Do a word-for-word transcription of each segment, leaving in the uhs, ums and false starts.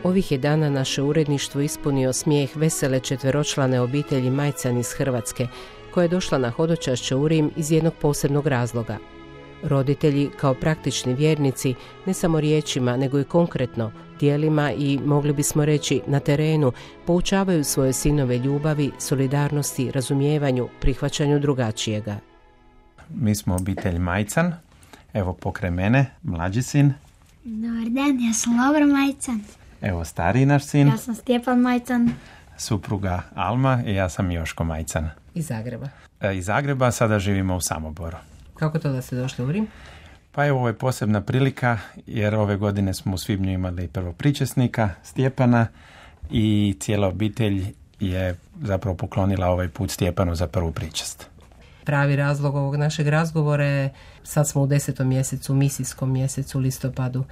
Ovih je dana naše uredništvo ispunio smijeh vesele četveročlane obitelji Majcan iz Hrvatske, koja je došla na hodočašće u Rim iz jednog posebnog razloga. Roditelji, kao praktični vjernici, ne samo riječima, nego i konkretno, djelima i, mogli bismo reći, na terenu, poučavaju svoje sinove ljubavi, solidarnosti, razumijevanju, prihvaćanju drugačijega. Mi smo obitelj Majcan. Evo pokraj mene, mlađi sin. Dobar dan, ja sam Lovro Majcan. Evo stariji naš sin. Ja sam Stjepan Majcan. Supruga Alma i ja sam Joško Majcan. Iz Zagreba. E, iz Zagreba, sada živimo u Samoboru. Kako to da ste došli u Rim? Pa evo, ovo je posebna prilika jer ove godine smo u svibnju imali prvopričesnika Stjepana i cijela obitelj je zapravo poklonila ovaj put Stjepanu za prvu pričest. Pravi razlog ovog našeg razgovora je, sad smo u desetom mjesecu, misijskom mjesecu, listopadu,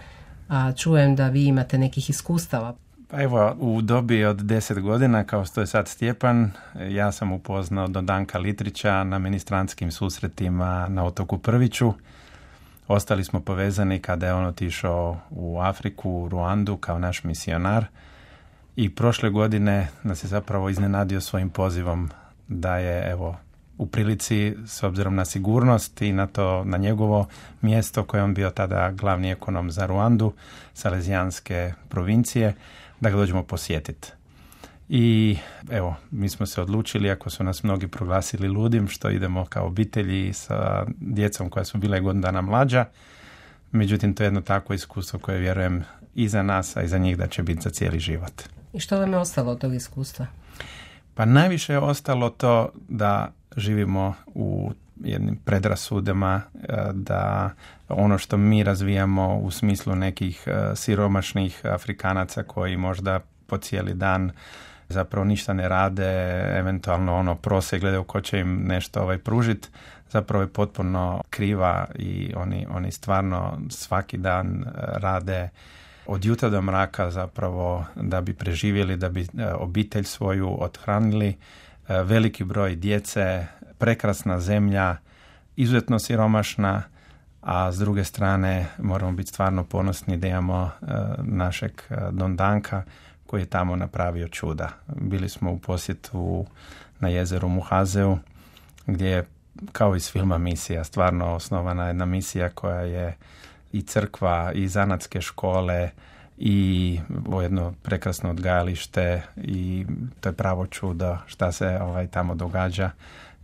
a čujem da vi imate nekih iskustava. Pa evo, u dobi od deset godina, kao što je sad Stjepan, ja sam upoznao Dondanka Litrića na ministrantskim susretima na otoku Prviću. Ostali smo povezani kada je on otišao u Afriku, u Ruandu kao naš misionar i prošle godine nas je zapravo iznenadio svojim pozivom da je, evo, u prilici, s obzirom na sigurnost i na to, na njegovo mjesto koje on bio tada glavni ekonom za Ruandu, Salezijanske provincije, da ga dođemo posjetiti. I evo, mi smo se odlučili, ako su nas mnogi proglasili ludim, što idemo kao obitelji sa djecom koja su bile godinu dana mlađa. Međutim, to je jedno takvo iskustvo koje vjerujem i za nas, a i za njih da će biti za cijeli život. I što vam je ostalo od tog iskustva? Pa najviše je ostalo to da živimo u jednim predrasudama, da ono što mi razvijamo u smislu nekih siromašnih Afrikanaca koji možda po cijeli dan zapravo ništa ne rade, eventualno ono prose, gledaju ko će im nešto ovaj pružiti, zapravo je potpuno kriva i oni, oni stvarno svaki dan rade od jutra do mraka zapravo da bi preživjeli, da bi obitelj svoju othranili, veliki broj djece, prekrasna zemlja, izuzetno siromašna, a s druge strane moramo biti stvarno ponosni da imamo našeg Dondanka koji je tamo napravio čuda. Bili smo u posjetu na jezeru Muhazeu gdje je kao iz filma Misija stvarno osnovana jedna misija koja je i crkva i zanatske škole i jedno prekrasno odgajalište i to je pravo čudo šta se ovaj tamo događa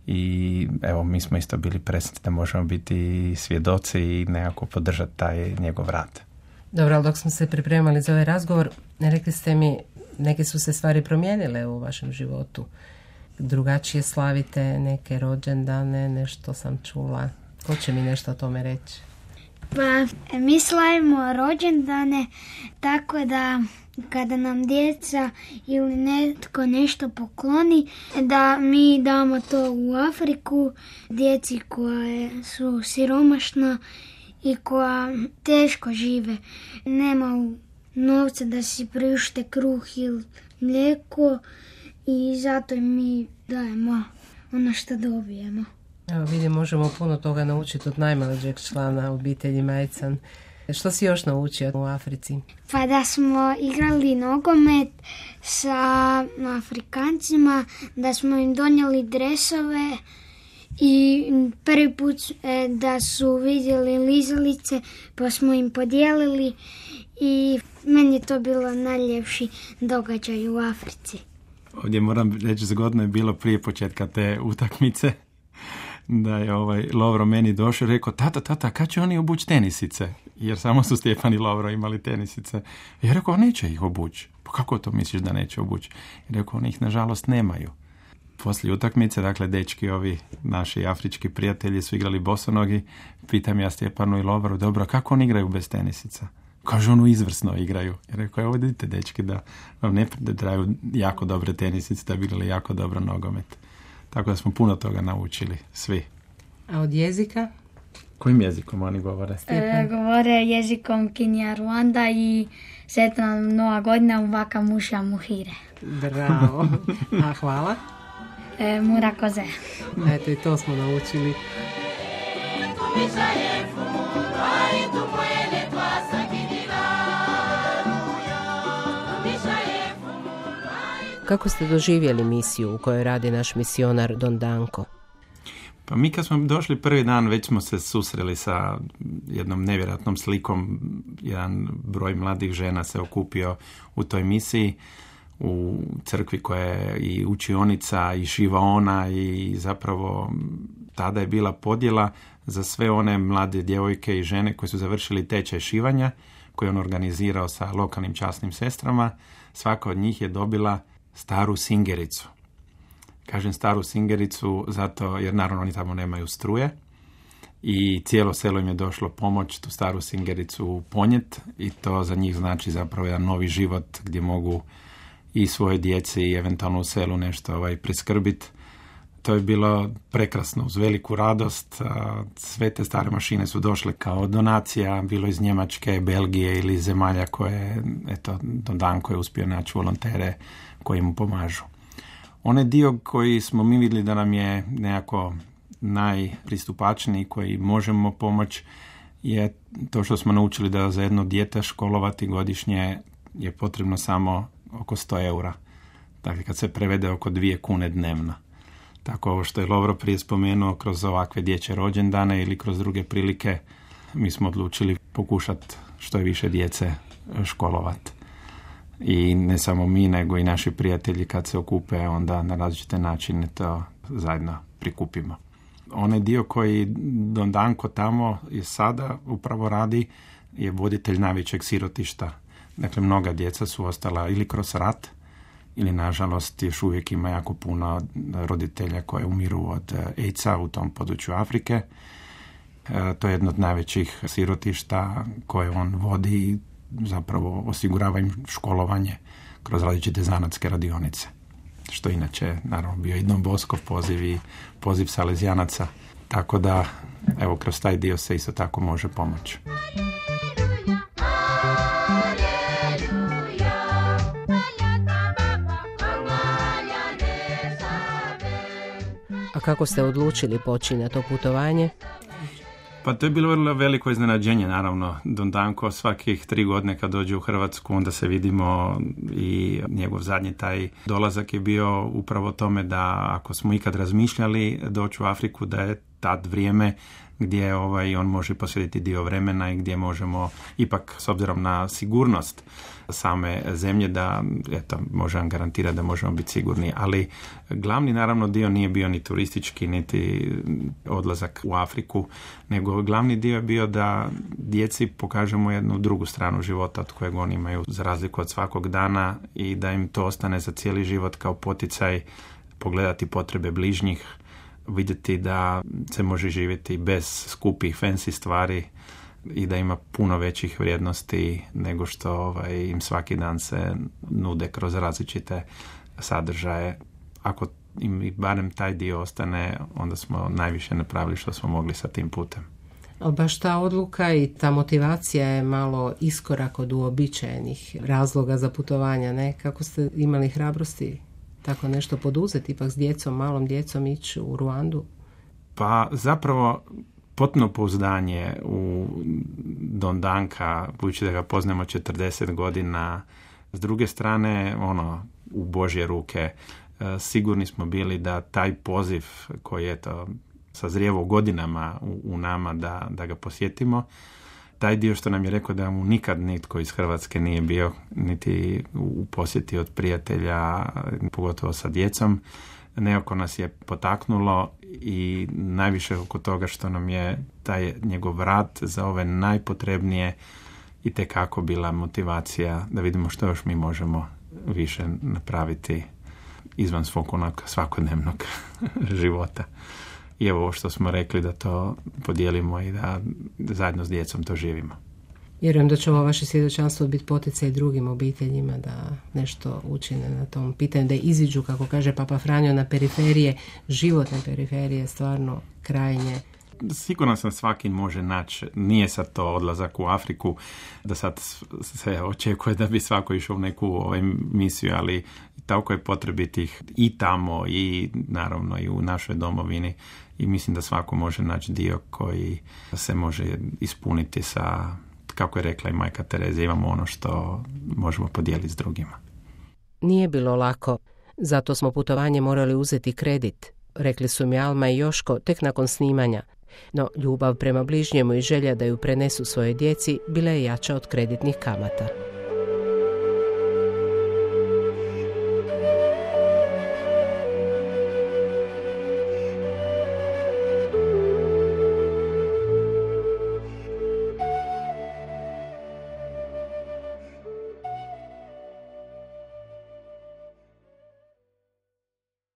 i evo mi smo isto bili presretni da možemo biti svjedoci i nekako podržati taj njegov rad. Dobro, ali dok smo se pripremali za ovaj razgovor, rekli ste mi, neke su se stvari promijenile u vašem životu. Drugačije slavite neke rođendane, nešto sam čula. Ko će mi nešto o tome reći? Pa, mi slavimo rođendane tako da kada nam djeca ili netko nešto pokloni, da mi damo to u Afriku djeci koja su siromašna i koja teško žive. Nema novca da si priušte kruh ili mlijeko i zato mi dajemo ono što dobijemo. Evo vidim, možemo puno toga naučiti od najmlađeg člana obitelji Majcan. Što si još naučio u Africi? Pa da smo igrali nogomet sa Afrikancima, da smo im donijeli dresove i prvi put da su vidjeli lizalice pa smo im podijelili i meni je to bilo najljepši događaj u Africi. Ovdje moram reći, zgodno je bilo prije početka te utakmice da je ovaj Lovro meni došao i rekao, tata, tata, kad će oni obući tenisice? Jer samo su Stjepan i Lovro imali tenisice. I ja rekao, neće ih obući. Pa kako to misliš da neće obući? I rekao, oni ih nažalost nemaju. Poslije utakmice, dakle, dečki ovi naši afrički prijatelji su igrali bosonogi. Pitam ja Stjepanu i Lovru, dobro, kako oni igraju bez tenisica? Kažu, ono izvrsno igraju. I rekao, evo vidite dečki da vam ne trebaju jako dobre tenisice, da bi igrali jako dobro nogomet. Tako da smo puno toga naučili, svi. A od jezika? Kojim jezikom oni govore? E, govore jezikom Kinija Ruanda i sretna nova godina u Vaka Muša Muhire. Bravo. A hvala? E, Mura Koze. Eto i to smo naučili. Kako ste doživjeli misiju u kojoj radi naš misionar Don Danko? Pa mi kad smo došli prvi dan već smo se susreli sa jednom nevjerojatnom slikom. Jedan broj mladih žena se okupio u toj misiji u crkvi koja je i učionica i šivaona i zapravo tada je bila podjela za sve one mlade djevojke i žene koji su završili tečaj šivanja koji je on organizirao sa lokalnim časnim sestrama. Svaka od njih je dobila staru singericu. Kažem staru singericu zato jer naravno oni tamo nemaju struje i cijelo selo im je došlo pomoć tu staru singericu ponijeti i to za njih znači zapravo jedan novi život gdje mogu i svoje djeci i eventualno u selu nešto ovaj, priskrbiti. To je bilo prekrasno, uz veliku radost. Sve te stare mašine su došle kao donacija, bilo iz Njemačke, Belgije ili zemalja koje, eto, Don Danko je uspio naći volontere koji mu pomažu. Onaj dio koji smo mi vidjeli da nam je nekako najpristupačniji, koji možemo pomoći, je to što smo naučili da za jedno dijete školovati godišnje je potrebno samo oko sto eura. Dakle, kad se prevede oko dvije kune dnevno. Tako ovo što je Lovro prije spomenuo, kroz ovakve dječje rođendane ili kroz druge prilike, mi smo odlučili pokušati što je više djece školovati. I ne samo mi, nego i naši prijatelji kad se okupe, onda na različite načine to zajedno prikupimo. Onaj dio koji Don Danko tamo je sada upravo radi je voditelj najvećeg sirotišta. Dakle, mnoga djeca su ostala ili kroz rat, ili nažalost još uvijek ima jako puno roditelja koje umiru od AIDS-a u tom području Afrike. E, to je jedno od najvećih sirotišta koje on vodi i zapravo osigurava im školovanje kroz različite zanatske radionice. Što inače, naravno, bio i Don Boskov poziv i poziv salezijanaca. Tako da, evo, kroz taj dio se isto tako može pomoći. A kako ste odlučili poći na to putovanje? Pa to je bilo vrlo veliko iznenađenje, naravno. Don Danko svakih tri godine kad dođe u Hrvatsku, onda se vidimo i njegov zadnji taj dolazak je bio upravo tome da ako smo ikad razmišljali doći u Afriku, da je tad vrijeme gdje ovaj, on može posvetiti dio vremena i gdje možemo ipak, s obzirom na sigurnost same zemlje, da eto, možem garantirati da možemo biti sigurni. Ali glavni naravno dio nije bio ni turistički, niti odlazak u Afriku, nego glavni dio je bio da djeci pokažemo jednu drugu stranu života od kojeg oni imaju za razliku od svakog dana i da im to ostane za cijeli život kao poticaj pogledati potrebe bližnjih, vidjeti da se može živjeti bez skupih fancy stvari i da ima puno većih vrijednosti nego što ovaj, im svaki dan se nude kroz različite sadržaje. Ako im barem taj dio ostane, onda smo najviše napravili što smo mogli sa tim putem. Ali baš ta odluka i ta motivacija je malo iskorak od uobičajenih razloga za putovanja, ne? Kako ste imali hrabrosti tako nešto poduzeti, ipak s djecom, malom djecom ići u Ruandu? Pa zapravo potpuno pouzdanje u Don Danka, budući da ga poznamo četrdeset godina, s druge strane, ono, u Božje ruke, sigurni smo bili da taj poziv koji je to sazrijevao godinama u, u nama da, da ga posjetimo, taj dio što nam je rekao da mu nikad nitko iz Hrvatske nije bio niti u posjeti od prijatelja, pogotovo sa djecom, nekako nas je potaknulo i najviše oko toga što nam je taj njegov rad za ove najpotrebnije i tekako bila motivacija da vidimo što još mi možemo više napraviti izvan svog onog svakodnevnog života. I evo ovo što smo rekli da to podijelimo i da zajedno s djecom to živimo. Vjerujem da će ovo vaše svjedočanstvo biti poticaj drugim obiteljima da nešto učine na tom pitanju, da iziđu, kako kaže Papa Franjo, na periferije, životne periferije, stvarno krajnje. Sigurno sam svaki može naći, nije sad to odlazak u Afriku, da sad se očekuje da bi svako išao u neku ovaj, misiju, ali tako je potrebitih i tamo i naravno i u našoj domovini i mislim da svako može naći dio koji se može ispuniti sa, kako je rekla i majka Tereza, imamo ono što možemo podijeliti s drugima. Nije bilo lako. Zato smo putovanje morali uzeti kredit, rekli su mi Alma i Joško tek nakon snimanja. No ljubav prema bližnjemu i želja da ju prenesu svojoj djeci bila je jača od kreditnih kamata.